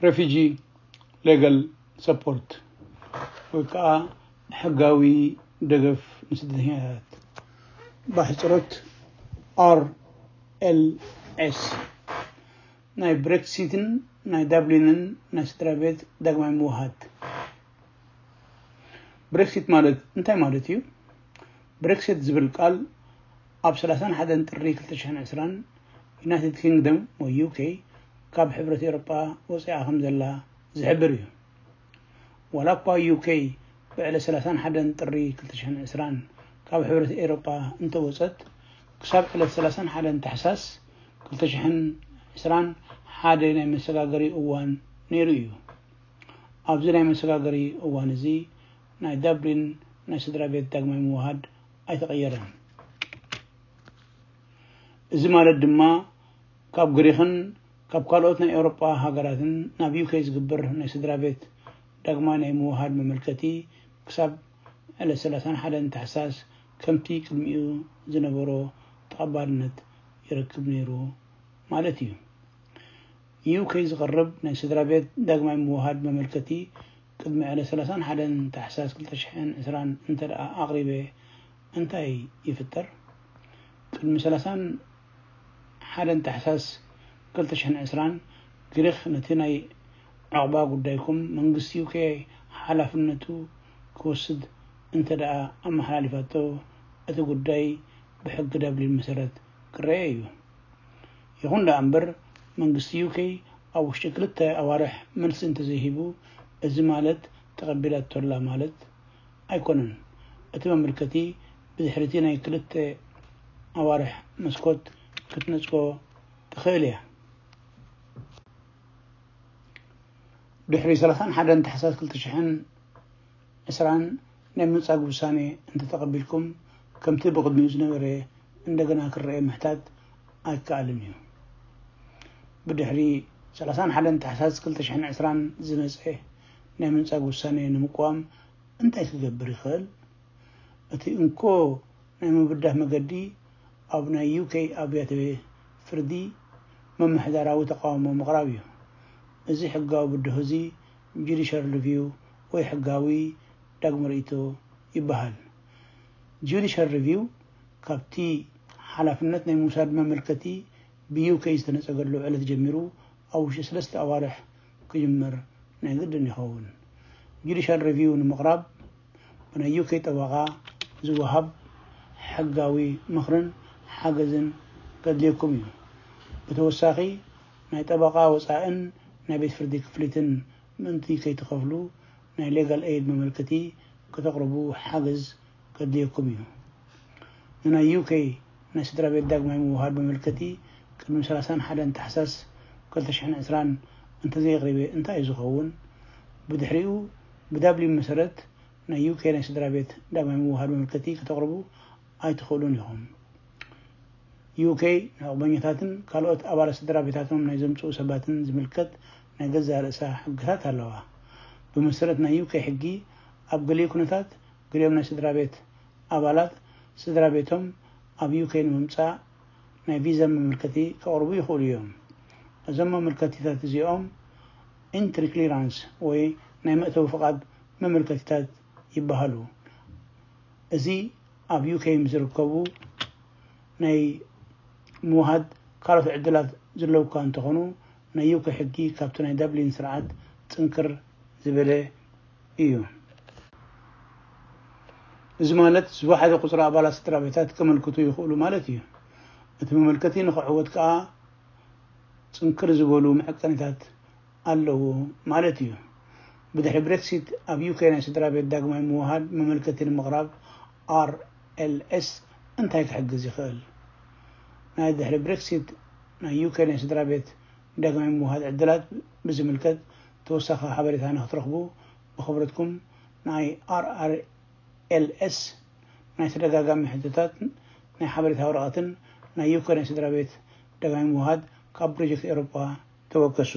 Refugee Legal Support ወይ ከዓ ሕጋዊ ደገፍ ንስደተኛታት፣ ብኣሕፅሮት ኣር ኤል ኤስ። ናይ ብሬክሲትን ናይ ዳብሊንን ናይ ስድራ ቤት ዳግማይ ምውሃድ። ብሬክሲት ማለት እንታይ ማለት እዩ? ብሬክሲት ዝብል ቃል ኣብ ሰላሳን ሓደን ጥሪ ክልተ ሽሕን ዕስራን ዩናይትድ ኪንግደም ወይ ዩ ኬ ካብ ሕብረት ኤውሮጳ ወፂኣ ከም ዘላ ዝሕብር እዩ። ዋላ እኳ ዩ ኬ ብዕለት ሰላሳን ሓደን ጥሪ ክልተ ሽሕን ዕስራን ካብ ሕብረት ኤውሮጳ እንተወፀት፣ ክሳብ ዕለት ሰላሳን ሓደን ታሕሳስ ክልተ ሽሕን ዕስራን ሓደ ናይ መሰጋገሪ እዋን ነይሩ እዩ። ኣብዚ ናይ መሰጋገሪ እዋን እዚ ናይ ዳብሊን ናይ ስድራ ቤት ዳግማይ ምውሃድ ኣይተቐየረን። እዚ ማለት ድማ ካብ ግሪኽን ካብ ካልኦት ናይ ኤውሮጳ ሃገራትን ናብ ዩ ኬ ዝግበር ናይ ስድራ ቤት ዳግማይ ናይ ምውሃድ መመልከቲ ክሳብ ዕለት ሰላሳን ሓደን ታሕሳስ ከምቲ ቅድሚኡ ዝነበሮ ተቐባልነት ይረክብ ነይሩ ማለት እዩ። ዩ ኬ ዝቐርብ ናይ ስድራ ቤት ዳግማይ ምውሃድ መመልከቲ ቅድሚ ዕለት ሰላሳን ሓደን ታሕሳስ ክልተ ሽሕን ዕስራን እንተ ደኣ ኣቕሪበ እንታይ ይፍጠር? ቅድሚ ሰላሳን ሓደን ታሕሳስ ክልተ ሽሕን ዕስራን ግሪኽ ነቲ ናይ ዕቕባ ጉዳይኩም መንግስቲ ዩ ኬ ሓላፍነቱ ክወስድ እንተ ደኣ ኣመሓላሊፋቶ፣ እቲ ጉዳይ ብሕጊ ዳብሊን መሰረት ክረአ እዩ። ይኹን ደኣ እምበር መንግስቲ ዩ ኬ ኣብ ውሽጢ ክልተ ኣዋርሕ መልሲ እንተዘይሂቡ፣ እዚ ማለት ተቐቢላቶላ ማለት ኣይኮነን። እቲ መመልከቲ ብድሕሪቲ ናይ ክልተ ኣዋርሕ መስኮት ክትነጽጎ ትኽእል እያ። ድሕሪ ሰላሳን ሓደን ታሕሳስ ክልተ ሽሕን ዕስራን ናይ ምንጻግ ውሳኔ እንተተቐቢልኩም፣ ከምቲ ብቕድሚኡ ዝነበረ እንደገና ክረአ ምሕታት ኣይከኣልን እዩ። ብድሕሪ ሰላሳን ሓደን ታሕሳስ ክልተ ሽሕን ዕስራን ዝመጸ ናይ ምንጻግ ውሳኔ ንምቅዋም እንታይ ክገብር ይኽእል? እቲ እንኮ ናይ ምብዳህ መገዲ ኣብ ናይ ዩ ኬ ኣብያተ ፍርዲ ምምሕዳራዊ ተቃውሞ ምቕራብ እዩ። እዚ ሕጋዊ ብድሆ እዚ ጁዲሻል ሪቪው ወይ ሕጋዊ ዳግመ ርእይቶ ይበሃል። ጁዲሻል ሪቪው ካብቲ ሓላፍነት ናይ ምውሳድ መመልከቲ ብ ዩ ኬ ዝተነጸገሉ ዕለት ጀሚሩ ኣብ ውሽጢ ሰለስተ ኣዋርሕ ክጅመር ናይ ግድን ይኸውን። ጁዲሻል ሪቪው ንምቕራብ ብናይ ዩ ኬ ጠበቓ ዝወሃብ ሕጋዊ ምኽርን ሓገዝን ከድልየኩም እዩ። ብተወሳኺ ናይ ጠበቓ ወጻእን ናይ ቤት ፍርዲ ክፍሊትን ምእንቲ ከይትኸፍሉ ናይ ሌጋል ኤይድ መመልከቲ ከተቕርቡ ሓገዝ ከድልየኩም እዩ። ንናይ ዩ ኬ ናይ ስድራ ቤት ዳግማይ ምውሃድ መመልከቲ ቅድሚ ሰላሳን ሓደን ታሕሳስ ክልተ ሽሕን ዕስራን እንተዘየቕሪበ እንታይ እዩ ዝኸውን? ብድሕሪኡ ብዳብሊን መሰረት ናይ ዩ ኬ ናይ ስድራ ቤት ዳግማይ ምውሃድ መመልከቲ ከተቕርቡ ኣይትኽእሉን ኢኹም። ዩ ኬ ንዕቕበኛታትን ካልኦት ኣባላት ስድራ ቤታቶም ናይ ዘምጽኡ ሰባትን ዝምልከት ናይ ገዛእ ርእሳ ሕግታት ኣለዋ። ብመሰረት ናይ ዩ ኬ ሕጊ፣ ኣብ ገሊኡ ኩነታት ገሊኦም ናይ ስድራ ቤት ኣባላት ስድራ ቤቶም ኣብ ዩ ኬ ንምምጻእ ናይ ቪዛ መመልከቲ ከቕርቡ ይኽእሉ እዮም። እዞም መመልከቲታት እዚኦም ኢንትሪ ክሊራንስ ወይ ናይ መእተዊ ፍቓድ መመልከቲታት ይበሃሉ። እዚ ኣብ ዩ ኬ ምስ ዝርከቡ ናይ ምውሃድ ካልኦት ዕድላት ዘለውካ እንተኾኑ፣ ናይ ዩ ኬ ሕጊ ካብቲ ናይ ዳብሊን ስርዓት ጽንክር ዝበለ እዩ። እዚ ማለት ዝወሓደ ቁጽሪ ኣባላት ስድራ ቤታት ከመልክቱ ይኽእሉ ማለት እዩ። እቲ መመልከቲ ንኽዕወት ከኣ ጽንክር ዝበሉ መዐቀኒታት ኣለዎ ማለት እዩ። ብድሕሪ ብሬክሲት ኣብ ዩ ኬ ናይ ስድራ ቤት ዳግማይ ምውሃድ መመልከቲ ንምቕራብ ኣር ኤል ኤስ እንታይ ክሕግዝ ይኽእል? ናይ ድሕሪ ብሬክሲት ናይ ዩ ኬ ናይ ስድራ ቤት ዳግማይ ምውሃድ ዕድላት ብዝምልከት ተወሳኺ ሓበሬታ ንክትረኽቡ ብኽብረትኩም ናይ ኣር ኣር ኤል ኤስ ናይ ተደጋጋሚ ሕቶታት ናይ ሓበሬታ ወረቐትን ናይ ዩ ኬ ናይ ስድራ ቤት ዳግማይ ምውሃድ ካብ ፕሮጀክት ኤውሮጳ ተወከሱ።